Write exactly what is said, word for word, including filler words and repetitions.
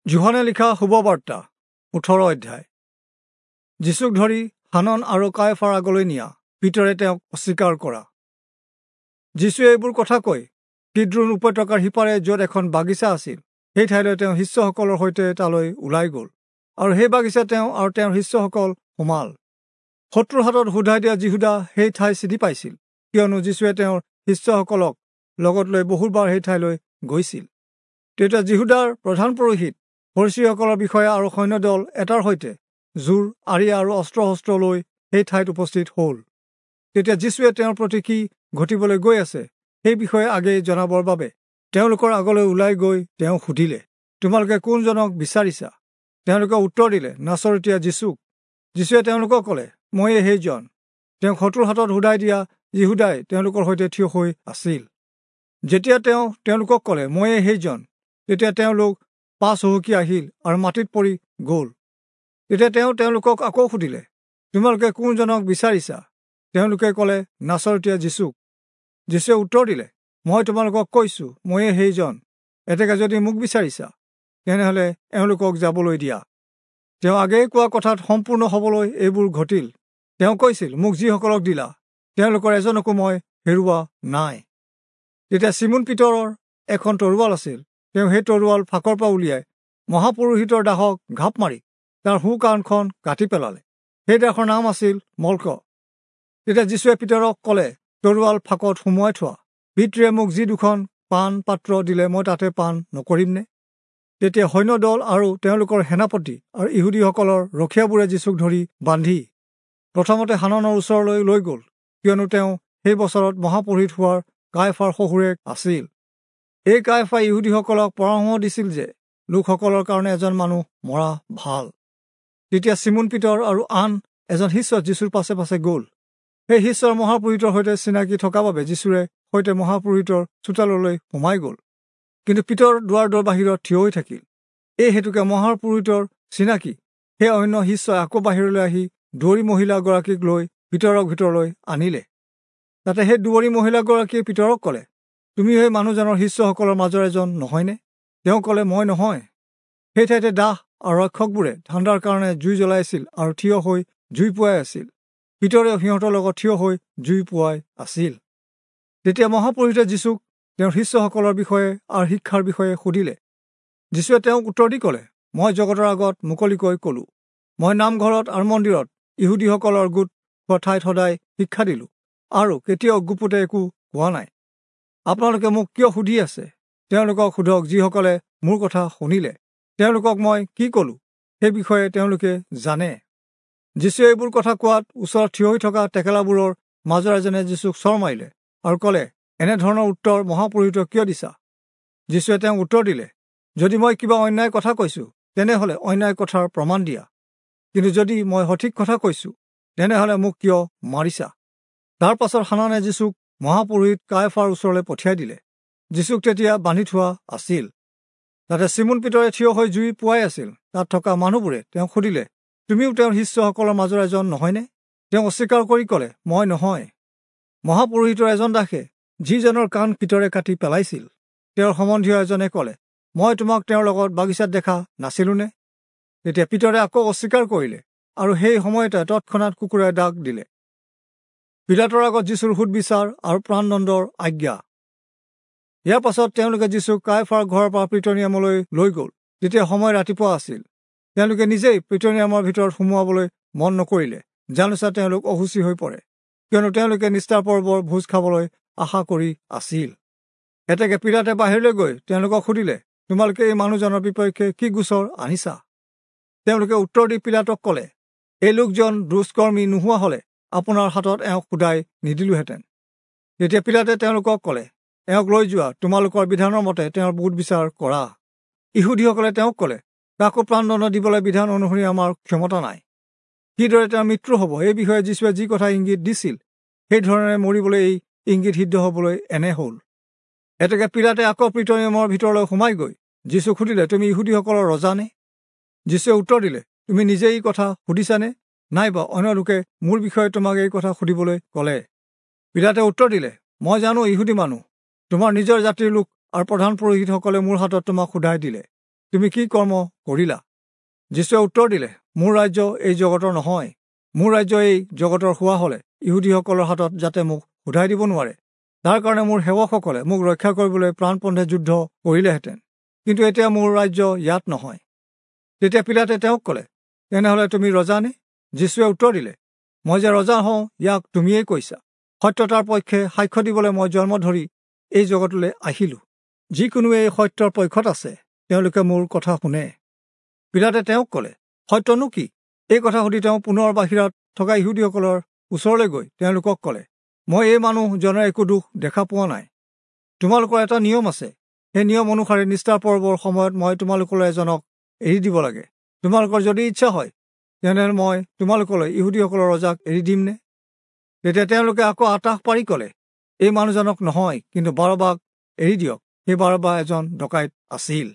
যোহনে লিখা শুভবাৰ্তা ওঠৰ অধ্যায়। যীচুক ধৰি হানন আৰু কায়ফাৰ আগলৈ নিয়া পিতৰে তেওঁক অস্বীকাৰ কৰা। যীচুৱে এইবোৰ কথা কৈ কিদ্ৰোণ উপত্যকাৰ সিপাৰে য'ত এখন বাগিচা আছিল সেই ঠাইলৈ তেওঁ শিষ্যসকলৰ সৈতে তালৈ ওলাই গ'ল আৰু সেই বাগিচা তেওঁ আৰু তেওঁৰ শিষ্যসকল সোমাল। শত্ৰুৰ হাতত সোধাই দিয়া যিহুদা সেই ঠাই চিনি পাইছিল, কিয়নো যীচুৱে তেওঁৰ শিষ্যসকলক লগত লৈ বহুবাৰ সেই ঠাইলৈ গৈছিল। তেতিয়া যিহুদাৰ প্ৰধান পুৰোহিত ফৰীচীসকলৰ বিষয়া আৰু সৈন্যদল এটাৰ সৈতে জোৰ আৰি আৰু অস্ত্ৰ শস্ত্ৰ লৈ সেই ঠাইত উপস্থিত হ'ল। তেতিয়া যীচুৱে তেওঁৰ প্ৰতি কি ঘটিবলৈ গৈ আছে সেই বিষয়ে আগেয়ে জনাবৰ বাবে তেওঁলোকৰ আগলৈ ওলাই গৈ তেওঁ সুধিলে, তোমালোকে কোনজনক বিচাৰিছা? তেওঁলোকে উত্তৰ দিলে, নাচৰতীয়া যীচুক। যীচুৱে তেওঁলোকক ক'লে, ময়ে সেইজন। তেওঁক শত্ৰুৰ হাতত সোধাই দিয়া যিহুদাই তেওঁলোকৰ সৈতে থিয় হৈ আছিল। যেতিয়া তেওঁ তেওঁলোকক ক'লে, ময়ে সেইজন, তেতিয়া তেওঁলোক পাছ হুহুকি আহিল আৰু মাটিত পৰি গ'ল। তেতিয়া তেওঁ তেওঁলোকক আকৌ সুধিলে, তোমালোকে কোনজনক বিচাৰিছা? তেওঁলোকে ক'লে, নাচৰতীয়া যীচুক। যীচুৱে উত্তৰ দিলে, মই তোমালোকক কৈছোঁ, ময়ে সেইজন। এতেকে যদি মোক বিচাৰিছা, তেনেহ'লে এওঁলোকক যাবলৈ দিয়া। তেওঁ আগেয়ে কোৱা কথাত সম্পূৰ্ণ হ'বলৈ এইবোৰ ঘটিল। তেওঁ কৈছিল, মোক যিসকলক দিলা তেওঁলোকৰ এজনকো মই হেৰুওৱা নাই। তেতিয়া চিমোন পিতৰৰ এখন তৰোৱাল আছিল। তেওঁ সেই তৰোৱাল ফাকৰ পৰা উলিয়াই মহাপুৰোহিতৰ দাসক ঘাপ মাৰি তাৰ সোঁ কাণখন কাটি পেলালে। সেই দাসৰ নাম আছিল মল্ক। তেতিয়া যীচুৱে পিতৰক ক'লে, তৰোৱাল ফাকত সুমুৱাই থোৱা। পিতৃয়ে মোক যি দুখন পান পাত্ৰ দিলে মই তাতে পান নকৰিমনে? তেতিয়া সৈন্যদল আৰু তেওঁলোকৰ সেনাপতি আৰু ইহুদীসকলৰ ৰখীয়াবোৰে যীচুক ধৰি বান্ধি প্ৰথমতে হাননৰ ওচৰলৈ লৈ গ'ল, কিয়নো তেওঁ সেই বছৰত মহাপুৰোহিত হোৱাৰ কায়ফাৰ শহুৰেক আছিল। এই কায়ফাই ইহুদীসকলক পৰামৰ্শ দিছিল যে লোকসকলৰ কাৰণে এজন মানুহ মৰা ভাল। তেতিয়া চিমোন পিতৰ আৰু আন এজন শিষ্য যীচুৰ পাছে পাছে গ'ল। সেই শিষ্যৰ মহাপুৰোহিতৰ সৈতে চিনাকি থকা বাবে যীচুৰে সৈতে মহাপুৰোহিতৰ চোতাললৈ সোমাই গ'ল। কিন্তু পিতৰ দুৱাৰ দৰ বাহিৰত থিয় হৈ থাকিল। এই হেতুকে মহাপুৰোহিতৰ চিনাকি সেই অন্য শিষ্যই আকৌ বাহিৰলৈ আহি দুৱৰী মহিলাগৰাকীক লৈ পিতৰক ভিতৰলৈ আনিলে। তাতে সেই দুৱৰী মহিলাগৰাকীয়ে পিতৰক ক'লে, তুমি সেই মানুহজনৰ শিষ্যসকলৰ মাজৰ এজন নহয়নে? তেওঁ ক'লে, মই নহয়। সেই ঠাইতে দাস আৰু ৰক্ষকবোৰে ঠাণ্ডাৰ কাৰণে জুই জ্বলাইছিল আৰু থিয় হৈ জুই পুৱাই আছিল। পিতৰেও সিহঁতৰ লগত থিয় হৈ জুই পুৱাই আছিল। তেতিয়া মহাপুৰোহিতে যীচুক তেওঁৰ শিষ্যসকলৰ বিষয়ে আৰু শিক্ষাৰ বিষয়ে সুধিলে। যীচুৱে তেওঁক উত্তৰ দি ক'লে, মই জগতৰ আগত মুকলিকৈ ক'লোঁ, মই নামঘৰত আৰু মন্দিৰত ইহুদীসকলৰ গোট হোৱা ঠাইত সদায় শিক্ষা দিলোঁ আৰু কেতিয়াও গুপুতে একো কোৱা নাই। আপোনালোকে মোক কিয় সুধি আছে? তেওঁলোকক সোধক যিসকলে মোৰ কথা শুনিলে। তেওঁলোকক মই কি ক'লোঁ সেই বিষয়ে তেওঁলোকে জানে। যীচুৱে এইবোৰ কথা কোৱাত ওচৰত থিয় হৈ থকা টেকেলাবোৰৰ মাজৰ এজনে যীচুক চৰ মাৰিলে আৰু ক'লে, এনেধৰণৰ উত্তৰ মহাপুৰোহিতক কিয় দিছা? যীচুৱে তেওঁক উত্তৰ দিলে, যদি মই কিবা অন্যায় কথা কৈছোঁ, তেনেহ'লে অন্যায় কথাৰ প্ৰমাণ দিয়া। কিন্তু যদি মই সঠিক কথা কৈছোঁ, তেনেহ'লে মোক কিয় মাৰিছা? তাৰ পাছত হানানে যীচুক মহাপুৰোহিত কায়ফাৰ ওচৰলৈ পঠিয়াই দিলে। যীচুক তেতিয়া বান্ধি থোৱা আছিল। তাতে চিমোন পিতৰে থিয় হৈ জুই পুৱাই আছিল। তাত থকা মানুহবোৰে তেওঁক সুধিলে, তুমিও তেওঁৰ শিষ্যসকলৰ মাজৰ এজন নহয়নে? তেওঁ অস্বীকাৰ কৰি ক'লে, মই নহয়। মহাপুৰোহিতৰ এজন দাসে, যিজনৰ কাণ পিতৰে কাটি পেলাইছিল, তেওঁৰ সম্বন্ধীয় এজনে ক'লে, মই তোমাক তেওঁৰ লগত বাগিচাত দেখা নাছিলোনে? তেতিয়া পিতৰে আকৌ অস্বীকাৰ কৰিলে আৰু সেই সময়তে তৎক্ষণাত কুকুৰে ডাক দিলে। পিলাতৰ আগত যীচুৰ সুদবিচাৰ আৰু প্ৰাণদণ্ডৰ আজ্ঞা। ইয়াৰ পাছত তেওঁলোকে যীচুক কায়ফাৰ ঘৰৰ পৰা প্ৰিটনিয়ামলৈ লৈ গ'ল। তেতিয়া সময় ৰাতিপুৱা আছিল। তেওঁলোকে নিজেই প্ৰিটনিয়ামৰ ভিতৰত সোমোৱাবলৈ মন নকৰিলে, জানোচা তেওঁলোক অসুচী হৈ পৰে, কিয়নো তেওঁলোকে নিস্তাৰ পৰ্বৰ ভোজ খাবলৈ আশা কৰি আছিল। এতেকে পিলাতে বাহিৰলৈ গৈ তেওঁলোকক সুধিলে, তোমালোকে এই মানুহজনৰ বিপক্ষে কি গোচৰ আনিছা? তেওঁলোকে উত্তৰ দি পিলাতক ক'লে, এই লোকজন দুষ্কৰ্মী নোহোৱা হ'লে আপোনাৰ হাতত এওঁক সোধাই নিদিলোহেঁতেন। তেতিয়া পিলাতে তেওঁলোকক ক'লে, এওঁক লৈ যোৱা, তোমালোকৰ বিধানৰ মতে তেওঁৰ বুধ বিচাৰ কৰা। ইহুদীসকলে তেওঁক ক'লে, কাকো প্ৰাণদণ্ড দিবলৈ বিধান অনুসৰি আমাৰ ক্ষমতা নাই। কিদৰে তেওঁৰ মৃত্যু হ'ব এই বিষয়ে যীচুৱে যি কথা ইংগিত দিছিল, সেই ধৰণেৰে মৰিবলৈ এই ইংগিত সিদ্ধ হ'বলৈ এনে হ'ল। এতেকে পিলাতে আকৌ প্ৰিটনিয়ামৰ ভিতৰলৈ সোমাই গৈ যীচুক সুধিলে, তুমি ইহুদীসকলৰ ৰজা নে? যীচুৱে উত্তৰ দিলে, তুমি নিজে এই কথা সুধিছানে, নাইবা অন্য লোকে মোৰ বিষয়ে তোমাক এই কথা সুধিবলৈ ক'লে? পিলাতে উত্তৰ দিলে, মই জানো ইহুদী মানুহ, তোমাৰ নিজৰ জাতিৰ লোক আৰু প্ৰধান পুৰোহিতসকলে মোৰ হাতত তোমাক সোধাই দিলে। তুমি কি কৰ্ম কৰিলা? যীশুৱে উত্তৰ দিলে, মোৰ ৰাজ্য এই জগতৰ নহয়। মোৰ ৰাজ্য এই জগতৰ হোৱা হলে ইহুদীসকলৰ হাতত যাতে মোক সোধাই দিব নোৱাৰে, তাৰ কাৰণে মোৰ সেৱকসকলে মোক ৰক্ষা কৰিবলৈ প্ৰাণপণে যুদ্ধ কৰিলেহেঁতেন। কিন্তু এতিয়া মোৰ ৰাজ্য ইয়াত নহয়। তেতিয়া পিলাতে তেওঁক ক'লে, তেনেহলে তুমি ৰজা নে? যীশুৱে উত্তৰ দিলে, মই যে ৰজা হওঁ ইয়াক তুমিয়েই কৈছা। সত্যতাৰ পক্ষে সাক্ষ্য দিবলৈ মই জন্ম ধৰি এই জগতলৈ আহিলোঁ। যিকোনোৱে এই সত্যৰ পক্ষত আছে তেওঁলোকে মোৰ কথা শুনে। পিলাতে তেওঁক ক'লে, সত্যনো কি? এই কথা সুধি তেওঁ পুনৰ বাহিৰত থকা ইহুদীসকলৰ ওচৰলৈ গৈ তেওঁলোকক ক'লে, মই এই মানুহজনৰ একো দোষ দেখা পোৱা নাই। তোমালোকৰ এটা নিয়ম আছে, সেই নিয়ম অনুসাৰে নিষ্ঠাৰ পৰ্বৰ সময়ত মই তোমালোকলৈ এজনক এৰি দিব লাগে। তোমালোকৰ যদি ইচ্ছা হয় তেনেহ'লে মই তোমালোকলৈ ইহুদীসকলৰ ৰজাক এৰি দিমনে? তেতিয়া তেওঁলোকে আকৌ আতাহ পাৰি ক'লে, এই মানুহজনক নহয়, কিন্তু বাৰবাক এৰি দিয়ক। সেই বাৰবা এজন ডকাইত আছিল।